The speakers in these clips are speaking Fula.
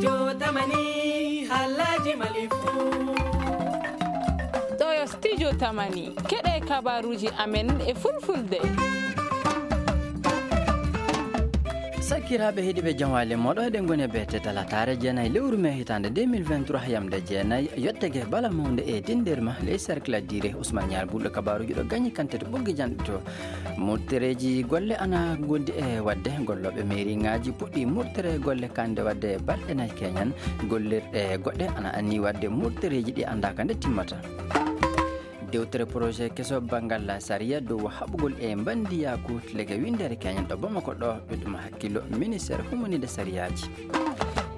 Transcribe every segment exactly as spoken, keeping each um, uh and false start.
Yo tamani halaji malifu. Ɗo yo studio tamani. Keɗe kabaruji amen e fulfulde. Sakiraaɓe heɗiiɓe, jam waali moɗo, eɗen ngoni e beete talataare jeenayi lewru mee hitaande deux mille vingt-trois, yamde jeenayi, yottege bala mawnde e dindirma, les cercles dire Ousmane Niar Bulɗo, kabaruji ɗo gañi kante to ɓoggi janɗe to. Murtereeji golle ana gondi e waɗde, gollooɓe meeriŋaaji puɗɗi murtere golle kande waɗde balɗe nayi keñan, gollirɗe goɗɗe ana anni waɗde murtereeji ɗi anndaaka nde timmata. Dewtere projet keso banngal sariya dow haɓugol e mbandiyaaku lege winndere keñan ɗo Bamako ɗo, ɗuɗum hakkillo ministère humanide sariyaaji.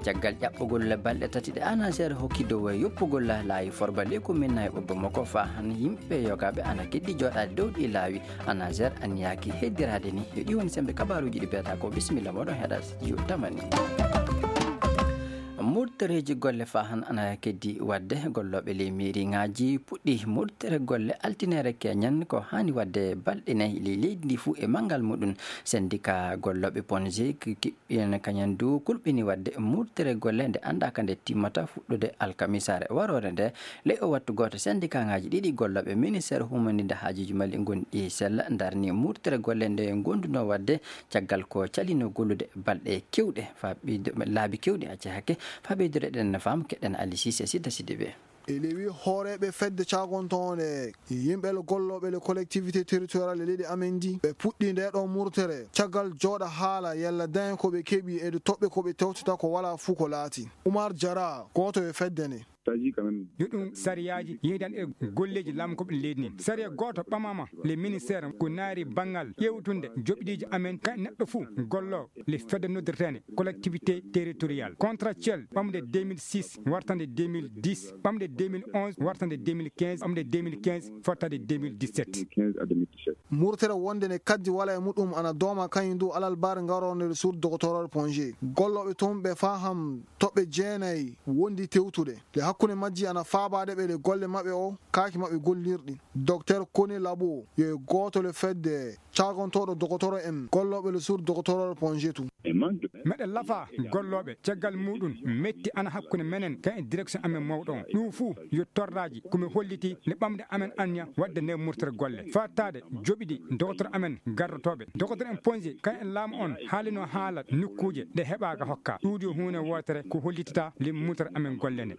Caggal ƴaɓɓugol balɗe tati ɗe ANASER hokki dow yoppugol laayi forba ley komin nayi ɓo Bamako, faa han yimɓe yogaaɓe ana keddi jooɗaade dow ɗi laawi, ANASER anniyaaki heddiraade ni. Yo ɗi woni sembe kabaruuji ɗi beetaa ko. Bisimilla moɗon heɗa studio tamani. Murtereeji golle faa han ana keddi waɗde, gollooɓe ley meeriŋaaji puɗɗi murtere golle altineere keñan ko haani waɗde balɗe nayi ley leydi ndi fuu e manngal muɗum. Sendika gollooɓe Ponge ki-, ki-, ɓiyen kañan du kulɓini waɗde murtere golle nde anndaaka nde timmata fuɗɗude alkamisaare waroore nde. Ley o wattu gooto, sendikaaŋaaji ɗiɗi gollooɓe ministère humaninde haajuuji mali ngonɗi sella ndarni murtere golle nde ngondunoo waɗde caggal ko calino gollude balɗe kewɗe faa ɓeydo-, laabi kewɗi, acca hakke, faa ɓeydude ɗen no faam, keɗen Ali Cissé Sidda Sidibé. E lewi hooreeɓe fedde caagontoonde yimɓe le gollooɓe le collectivité territoriale e leydi amen ndi, ɓe puɗɗi nde ɗo murtere caggal jooɗa haala yalla dañe ko ɓe keɓi e toɓɓe ko ɓe tewtata ko walaa fuu ko laati. Umar Jara, gooto e fedde nde. Yo ɗum sariyaaji yehidan e golleeji laamu ko ɓe leydi ndi. Sariya gooto ɓamaama le ministère ko naari banngal ƴeewtunde joɓɗiiji amen ka neɗɗo fuu gollo le fedde noddirteende collectivité territoriale contractuel ɓamde deux mille six wartande deux mille dix, ɓamde deux mille onze wartande deux mille quinze, ɓamde deux mille quinze fottade deux mille dix-sept. Murtere wonde ne kaddi wala e muɗum ana dooma kañum du alal baare ngarorde le sur doctoror Ponge. Gollooɓe toon ɓe faham toɓɓe jeenayi wondi tewtude. Le hakkunde majji ana faabaade ɓe le golle maɓɓe o kaaki maɓɓe gollirɗi. Docteur Kone Labo yo e gooto le fedde caagontooɗo dogotoro en gollooɓe le sur dogotoro Ponge tu. Meɗen lafa gollooɓe caggal muɗum metti ana hakkunde menen kan e direction amen mawɗo on. Ɗum fuu yo torraaji ko mi holliti nde ɓamde amen anniya waɗde nde murtere golle. Fattaade joɓiɗi dogotoro amen garrotooɓe. Dogotoro en Ponge kan e laamu on haalino haala nokkuuje ɗe heɓaaka hokka. Ɗuuɗi yo huunde wootere ko hollitata le murtere amen golle nde.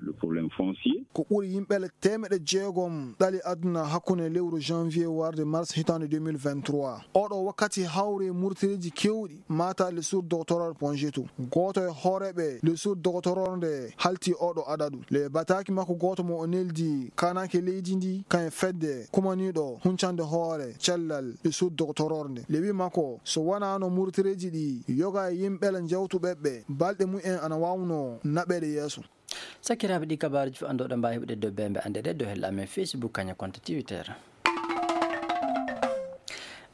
Ko ɓuri yimɓe le teemeɗe jeegom ɗali aduna hakkunde lewru janvier warde mars hitaande deux mille vingt-trois. Oɗo wakkati hawri murtireeji kewɗi mata le sur doctoral Ponge tu. Gooto e hooreeɓe le sur doctoral nde halti oɗo adadu. Le bataaki makko gooto mo o neldi kanake leydi ndi kan e fedde kumaniiɗo huncande hoore cellal le sur doctoral nde. Le wi makko so wanaano murtireeji ɗi yoga e yimɓe le jawtuɓe ɓe balɗe mumen ana waawno naɓeede yeeso. Sakiraaɓe, ɗi kabaaruuji fof anndooɗo mbaawi heɓude dow bembe annde ɗe dow hella amen Facebook kañum konto Twitter.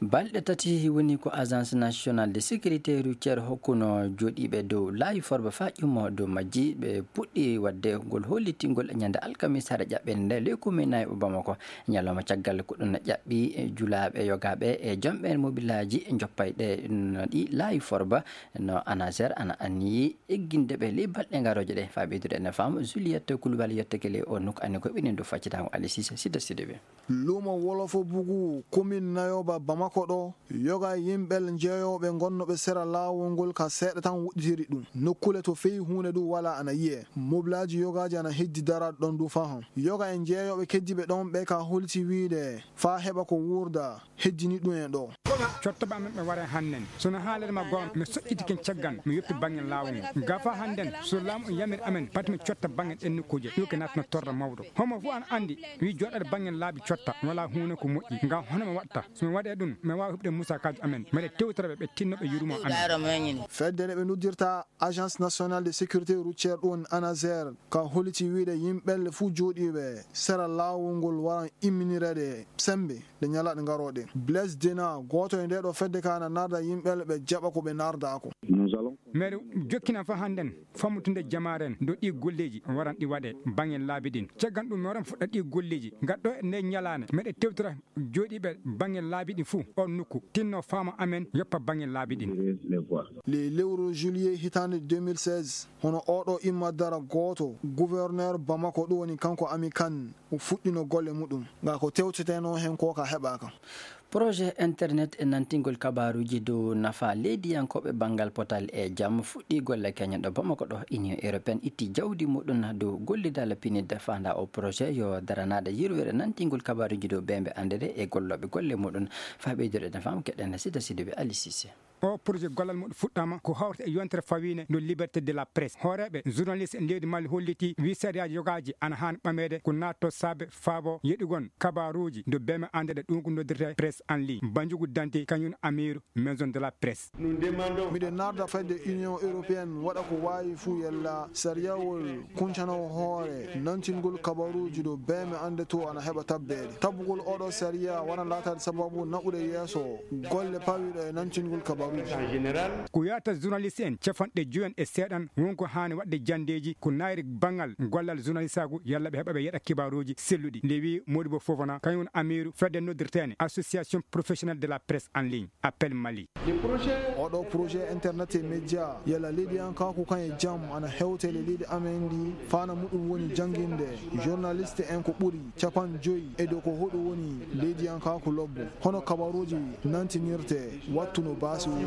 Balɗe tati woni ko Agence Nationale de Sécurité Routière hokkuno jooɗiiɓe dow laawi forba faa ƴummo dow majji. Ɓe puɗɗi waɗde ngol hollitingol e ñande alkamisa hare ƴaɓɓende nde ley commune Nayɓo Bamako. Ñalawma caggal ko ɗum ƴaɓɓi julaaɓe yogaaɓe e jomɓe mobilaaji joppayɗe no ɗi laawi forba no ANASER ana anniyi egginde ɓe ley balɗe ngarooje ɗe. Faa ɓeydude ene faam, Juliette Coulibaly yettake ley o nokku anni ko ɓinen dow faccitango Ali Cissé Sidda Sidibé. Luumo Wolofo Bugu, commune Nayooba Bamako ɗo, yoga yimɓe jeeyooɓe ngonnooɓe sera laawol ngol ka seeɗa tan wuɗɗitiri ɗum. Nokkule to feyi huunde ɗum wala ana yi'e. Mobilaaji yogaaji ana heddi daraade ɗon du fahan. Yoga e jeeyooɓe keddiiɓe ɗon ɓe ka holti wiide faa heɓa ko wuurda heddini ɗum e ɗo. Cotta ba men ɓe ware hannden. So no haalere ma goonga, mi soƴƴiti ken caggal, mi yoppi bannge laawol ngol. Gafa hannden, so laamu on yamir amen, pati mi cotta bannge ɗen nokkuuje, ɗum ke natno torra mawɗo. Homo fof ana anndi, wi jooɗaade bannge laabi cotta, wala huunde ko moƴƴi. Ngam hono mi waɗta, so mi waɗee ɗum, mi waawa heɓude musakaaji amen. Mbeɗe tewtira ɓe, ɓe tinno ɓe yurmo amen. Fedde nde ɓe noddirta Agence Nationale de Sécurité Routière ɗum ANASER, ka holiti wiide yimɓe le fuu jooɗiiɓe sera laawol ngol waran imminireede sembe le ñalaaɗe ngarooɗe. Blaise Dena, gooto e nde ɗo fedde ka ana narda yimɓe le ɓe jaɓa ko ɓe nardaako. Meɗen jokkina fa hannden fammutunde jamaaren do ɗi golleeji waran ɗi waɗe bangen laabi ɗin. Caggan ɗum meɗen fuɗɗa ɗi golleeji. Ngaddo e nde ñalaane meɗe tewtira jooɗiiɓe bangen laabi ɗin fuu on nukku tinno faama amen yoppa bangen laabi ɗin. Le lewru juillet hitaande deux mille seize, hono oɗo imma dara gooto, gouverneur Bamako, ɗum woni kanko Ami Kan, o fuɗɗino golle muɗum. Nga ko tewteteno hen ko ka heɓaka. Projet internet e nantingol kabaruji dow nafa leydiyankooɓe banngal potal e jam fuɗɗi golle keñen ɗo Bamako ɗo. Union européenne itti jawdi muɗum dow gollidal pinidde fanda o projet yo daranaade yirwere nantingol kabaruji dow bembe andede e gollooɓe golle muɗum. Faa ɓeydude nafaam keɗen sida sidiɓe Ali Cissé. O projet gollal muɗum fuɗɗama ko hawrata e yontere fawiinde no liberté de la presse. Hooreeɓe journaliste en leydi Mali holliti wi sariyaaji yogaaji ana haani ɓameede ko naatto saabe faabo yeɗugol kabaruuji do beme andede ɗum ko noddirte presse en ligne. Banjugu Dante kañum amiru maison de la presse. Miɗen narda fedde Union européenne waɗa ko waawi fuu yalla sariyawol kuncanowo hoore nantingol kabaruuji do beme ande to ana heɓa tabbeede. Tabbugol oɗo sariya wona laataade sababu naɓude yeeso golle pawiɗo e nantingol kabaruuji. Ko yata journaliste en capanɗe joyi e seeɗan wonko haani waɗde janndeeji ko nayri banngal gollal journalisaagu yalla ɓe heɓa ɓe yeɗa kibaruuji selluɗi. Nde wi Modibo Fofana kañum amiru fedde noddirteene association professionnelle de la presse en ligne. Appel Mali. Oɗo projet internet e média yalla leydiyankaaku kan e jam ana hewtele leydi amen ndi fana muɗum woni jannginde journaliste en ko ɓuri capan joyi e dow ko hoɗum woni leydiyankaaku lobbo hono kabaruuji nantinirte wattu no baasi wuro.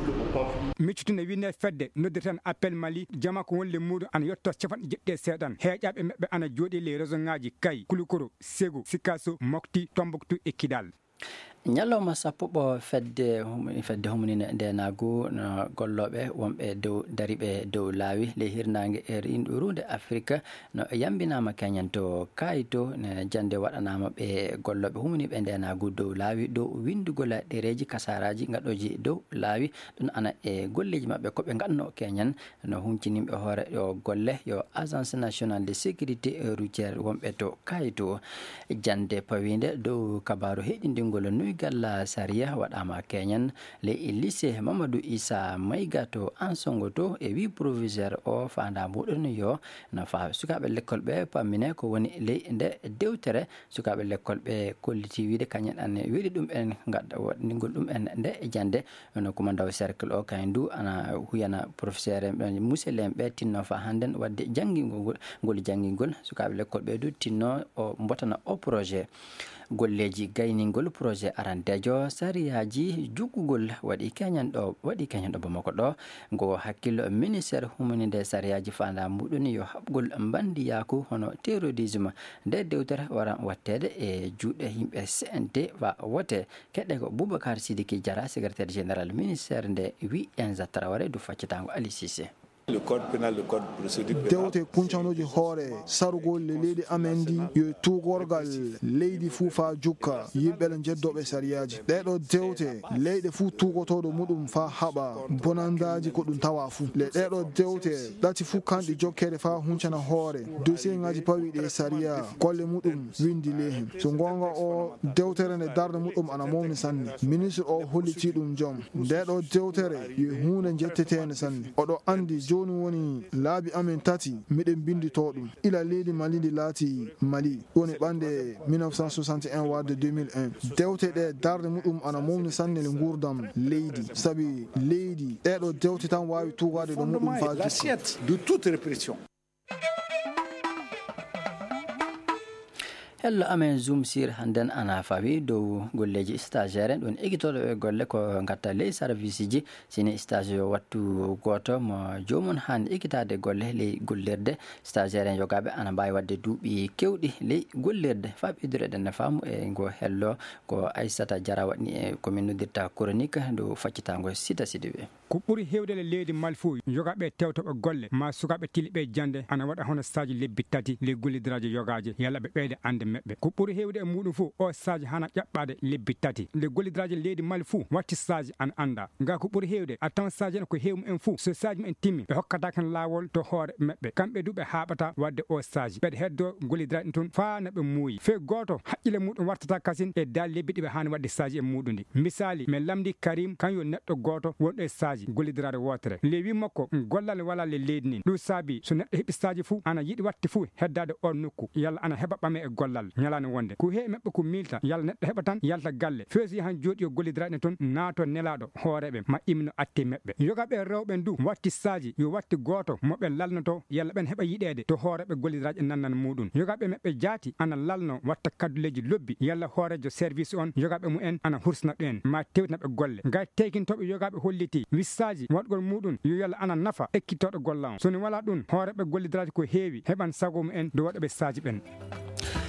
Miccitune winne fedde noddirten Appel Mali jama ko wonle muɗum ana yetto capanɗe jeɗɗi e seeɗan heeƴaɓe maɓɓe ana jooɗi ley région ngaji Kay, Kulukoro, Segu, Sikaso, Mokti, Tombuktu e Kidal. Ñalawma sappo ɓo fedde hum- fedde huminine ndenaagu no gollooɓe wonɓe dow dariɓe dow laawi ley hirnaange e rinɗo ruunde Afirika no yambinaama keñen to kayito ne jannde waɗanaama ɓe gollooɓe huminiiɓe ndenaagu dow laawi dow winndugol ɗereeji kasaaraaji ngaɗooji dow laawi. Ɗum ana e golleeji maɓɓe ko ɓe ngaɗno keñen no huncini ɓe hoore yo golle yo Agence Nationale de Sécurité Routière wonɓe to kayito. Jannde pawiinde dow kabaaru heɗindingol nuygal sariya waɗaama keñen ley lycée Mamadou Issa Maïga to Ansongo to e wi proviseur o fanda muɗum yo nafa sukaaɓe lekkol ɓe pammine ko woni ley nde dewtere sukaaɓe lekkol ɓe kolliti wiide kañen an weli ɗum en ngadda waɗningol ɗum en nde jannde. Hono kumandaw cercle o kañum du ana huyana professeur en ɓen musel en ɓe tinno fa hannden waɗde janngingol ngol ngol janngingol sukaaɓe lekkol ɓe du tinno o mbotana o projet golleeji gayningol projet arandeejo sariyaaji juggugol waɗi keñan ɗo waɗi keñan ɗo Bamako ɗo. Ngo hakkillo ministère humaninde sariyaaji fanda muɗum yo haɓgol mbandiyaaku hono terrorisme nde dewtere wara watteede e juuɗe yimɓe C N T wa wote. Keɗɗe ko Boubacar Sidiki Diarra, secrétaire général ministère nde wi Enza Traoré du faccatango Ali Cissé. Le code pénal, le code procédure pénale. Dewte kuncanooji hoore sarugol le leydi amen ndi yo tuugorgal leydi fuu faa jukka yimɓe le njeddooɓe sariyaaji. Ɗeeɗo dewte leyɗe fuu tuugotooɗo muɗum faa haɓa bonandaaji ko ɗum tawa fuu. Le ɗeeɗo dewte ɗati fuu kanɗi jokkere faa huncana hoore dossier ŋaaji pawiiɗi e sariya golle muɗum windi lehen. So ngoonga o dewtere nde darnde muɗum ana mawni sanne. Ministre o hollitii ɗum jom. Nde ɗo dewtere yo huunde njetteteende sanne. Oɗo anndi jooni woni laabi amen tati miɗen binnditoo ɗum. Ila leydi Mali ndi laati Mali. Ɗum woni ɓannde mille neuf cent soixante et un warde deux mille un. Dewte ɗe darnde muɗum ana mawni sanne le nguurdam leydi. Sabi leydi ɗeeɗo dewte tan waawi tuugaade ɗo muɗum faa jikka. L'assiette de toute répression. Hello amen Zoom sir hannden ana fawi dow golleeji stagiaire en ɗum ekitooɗo e golle ko ngatta ley service ji sini stage yo wattu gooto mo joomum han ekitaade golle ley gollirde. Stagiaire en yogaaɓe ana mbaawi waɗde duuɓi kewɗi ley gollirde faa ɓeydureɗen no faamu e ngo hello ko Aissata Diarra waɗni e ko min noddirta chronique dow faccitaango sida sidiɓe. Ko ɓuri heewde e leydi Mali fof yogaaɓe tewtoɓe golle ma sukaaɓe tiliɓe jannde ana waɗa hono stage lebbi tati ley gollidiraaji yogaaji yalla ɓe ɓeyda annde. ɓe. Ko ɓuri heewde e muuɗum fof, o stage hana ƴaɓɓaade lebbi tati. Nde gollidiraaji leydi Mali fof watti stage ana annda. Ga ko ɓuri heewde, a tawan stage en ko heewu en fof. So stage en timmi, ɓe hokkata kan laawol to hoore maɓɓe. Kamɓe du ɓe haaɓata waɗde o stage. Ɓeɗe heddo gollidiraaɗi toon faa na ɓe muuyi. Fee gooto, haqqille muuɗum wartata kasin e daali lebbi ɗi ɓe haani waɗde stage e muuɗum ɗi. Misaali, men lamndi Karim, kan yo neɗɗo gooto wonɗo e stage, gollidiraade wootere. Le wi makko, gollal walaa le leydi nin. Ɗum saabi, so neɗɗo heɓi stage fof, ana yiɗi waɗde fof heddaade on nokku, yalla ana heɓa ɓame e gollal, ñalaande wonde. Ko heewi maɓɓe ko miilta, yalla neɗɗo heɓa tan, yalta galle. Feesi han jooɗi yo gollidiraade toon, naato nelaaɗo, hooreeɓe, ma imno atte maɓɓe. Yogaaɓe rewɓe ndu, watti stage, yo watti gooto, mo ɓe lalnoto, yalla ɓen heɓa yiɗeede, to hooreeɓe gollidiraaji e nannal muuɗum. Yogaaɓe maɓɓe jaati, ana lalno, watta kadduleeji lobbi, yalla hooreejo service on, yogaaɓe mumen, ana hursina ɗen, ma tewtina ɓe golle. Gay teykintooɓe yogaaɓe holliti, wissaaji, waɗgol muuɗum, yo yalla ana nafa, ekkitooɗo golla on. So ni walaa ɗum, hooreeɓe gollidiraaji ko heewi, heɓan sago mumen, do waɗa ɓe saaji ɓen.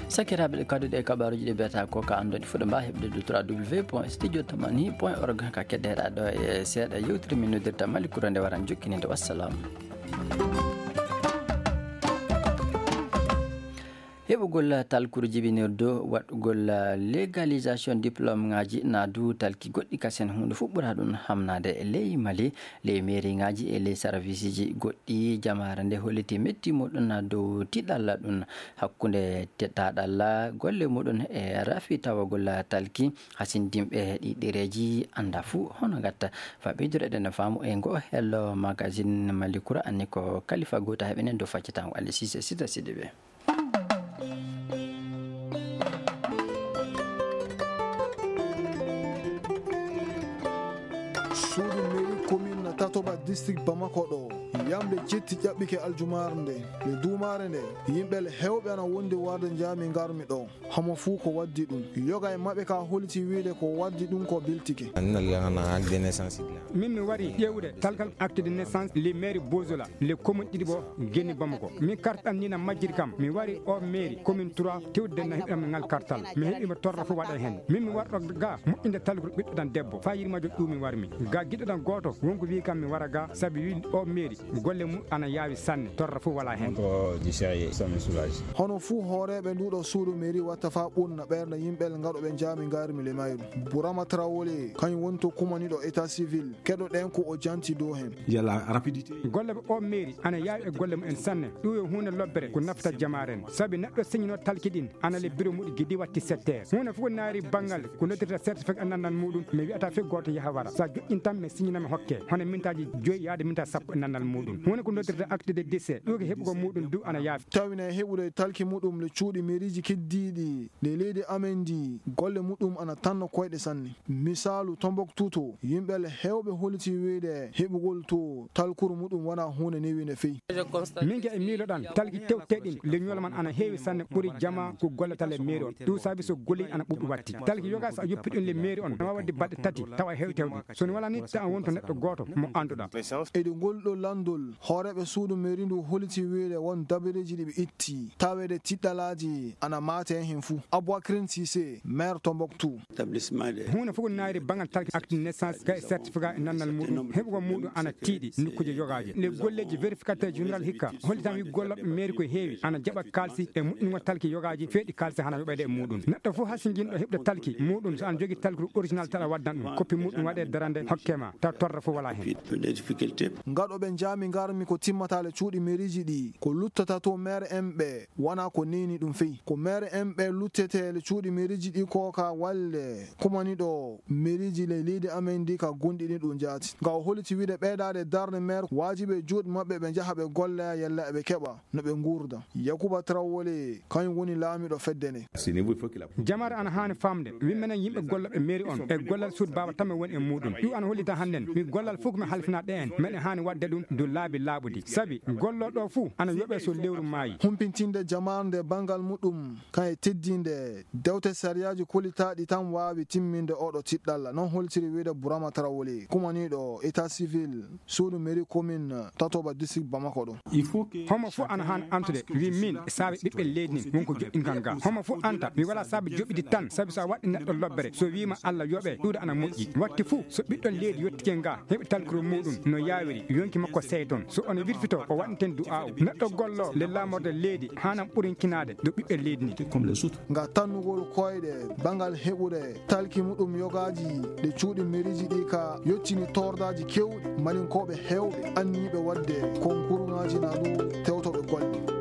Sakiraaɓe, ɗe kadduɗe e kabaaruuji ɗi mbiyata ko ka anndon fuɗo mba heɓde du trois w point studio tamani point org ka keddeeɗa ɗo e seeɗa yewtere min noddirta Mali Kura nde waran jokkininde. Wassalam. Heɓugol talkuru jibinirdu waɗugol légalisation diplôme ŋaaji na du talki goɗɗi kasen huunde fuɗɓura ɗum hamnaade e ley Mali, ley mairie ŋaaji e ley service ji goɗɗi. Jamaare nde holliti metti muɗum na dow tiɗalla ɗum hakkunde teɗaɗalla golle muɗum e rafi tawagol talki hasindinɓe ɗi ɗereeji annda fuu hono gatta. Fa ɓeydureɗen faamu e ngo hello magazine Mali Kura anni ko kalifa goota heɓenen dow faccatango Ali Sise Sita Sidiɓe. Suudu mairie commune Tatoba district Bamako ɗo yamde jetti ƴaɓɓike aljumaare nde. Nde duumaare nde yimɓe hewɓe ana wondi warde njaami ngarmi ɗo. Homo fuu ko waddi ɗum. Yoga e maɓɓe ka holiti wiide ko waddi ɗum ko biltike. Min mi wari ƴeewude talkal acte de naissance le maire Bozola le commune ɗiɗi ɓo genni Bamako. Min kartal ni na majjiri kam. Mi wari o mairie commune trois tewde na heɓi am ngal kartal. Mi heɓi mo torra fof waɗa heen. Min mi warɗo ga moƴƴinde talkuru ɓiɗɗo tan debbo. Faa yirmajo ɗum mi warmi. Ga giɗo ɗan gooto wonko wi kam mi wara ga sabi wi o mairie golle mum ana yaawi sanne torra fof wala heen. Hono fuu hooreeɓe nduuɗo suudu mairie watta faa ɓurna ɓernde yimɓe ngaɗo ɓe njaami ngarmi le mayru. Burama Traoré kañum woni to kumaniɗo état civil. Keɗoɗen ko o janti dow heen. Golle o mairie ana yaawi e golle mum en sanne. Ɗum yo huunde lobbere ko nafata jamaaren. Sabi neɗɗo siñinoo talki ɗin ana le bureau muɗi gidi watti sept heures. Huunde fof ko naari banngal ko noddirta certificat nannal muɗum mi wi'ata fof gooto yaha wara. So a joƴƴin tan mi siñina mi hokke hono mintaaji joyi yaade minta sappo e nannal muɗum. Huunde ko noddirta acte de décès ɗum ko heɓugol muɗum du ana yaafi. Tawine heɓude talki muɗum le cuuɗi mairieji keddiiɗi le leydi amen ndi golle muɗum ana tanno koyɗe sanne. Misaalu Tombouctou to yimɓe hewɓe holiti wiide heɓugol to talkuru muɗum wona huunde newiinde fey. Min ga e miiloɗan talki tewteɗin le ñoolo man ana heewi sanne ɓuri jama ko gollata le mairie on. Ɗum saabi so golli ana ɓuɓɓi watti talki yoga so a yoppi ɗum le mairie on na wawa wadde baɗɗe tati tawa heewi tewɗi so ni wala ni ta wonto neɗɗo gooto mo annduɗa. Eɗi ngol ɗo lanndol hooreeɓe suudu mairie ndu holiti wiide won dabareeji ɗi ɓe itti taweede tiɗɗalaaji ana maate heen fof. Aboubacrin Cissé maire Tombouctou. Huunde fof ko naayri banngal talki acte de naissance kay certificat e nannal muɗum heɓugol muɗum ana tiiɗi nokkuuje yogaaje le golleeji vérificateur général hikka hollitan wi gollooɓe mairie ko heewi ana jaɓa kaalsi e moƴƴingol talki yogaaji feeɗi kaalsi hana yoɓeede e muɗum neɗɗo fof hasinjinɗo heɓde talki muɗum so ana jogii talki original tan a waddan ɗum koppi muɗum waɗe darande hokke ma taw torra fof wala heen. Ngaɗo ɓe njaami ngarmi ko timmata le cuuɗi mairieji ɗi ko luttata to maire en ɓe wona ko neni ɗum fey ko maire en ɓe luttete le cuuɗi mairieji ɗi ko ka walle kumaniɗo mairieji le leydi amen ndi ka gonɗini ɗum jaati nga o holiti wiide ɓeydaade darnde maire waajibi e juuɗe maɓɓe ɓe njaha ɓe golla yalla eɓe keɓa no ɓe nguurda. Yakuba Traoré kañum woni laamiɗo fedde nde. Jamaare ana haani faamde wi menen yimɓe gollooɓe mairie on e gollal suudu baaba tan mi woni e muɗum ɗum ana hollita hannden mi gollal fof ko mi halfina ɗe en meɗen haani waɗde ɗum dow laabi laaɓuɗi sabi gollooɗo fof ana yoɓe so lewru maayi. Humpitinde jamaare nde banngal muɗum kan e teddinde dewte sariyaaji kolitaaɗi tan waawi timminde oɗo tiɗɗalla non holtiri wiide Burama Tarawole kumaniiɗo état civil suudu mairie commune Tatoba district Bamako ɗo. Homo fof ana haan antude wi min saabe ɓiɓɓe leydi nin wonko joɗɗinkan ga homo fof anta mi wala saabe joɓɓidi tan sabi so a waɗɗi neɗɗo lobbere so wima Allah yoɓe ɗuuɗa ana moƴƴi watti fof so ɓiɗɗo leydi yottike nga heɓi tal Kuro muɗum no yaawiri, yonki makko seyton. So on wirfito, o waɗanten du'aawu. Neɗɗo gollo le laamorde leydi, haanam ɓurinkinaade ɗo ɓiɓɓe leydi ni. Nga tannugol koyɗe bangal heɓude talki muɗum yogaaji ɗe cuuɗi meriiji ɗi ka yoccini toordaaji kewɗi. Malinkooɓe heewɓe anniiɓe waɗde konkurŋaaji na ɗum tewtoɓe golle.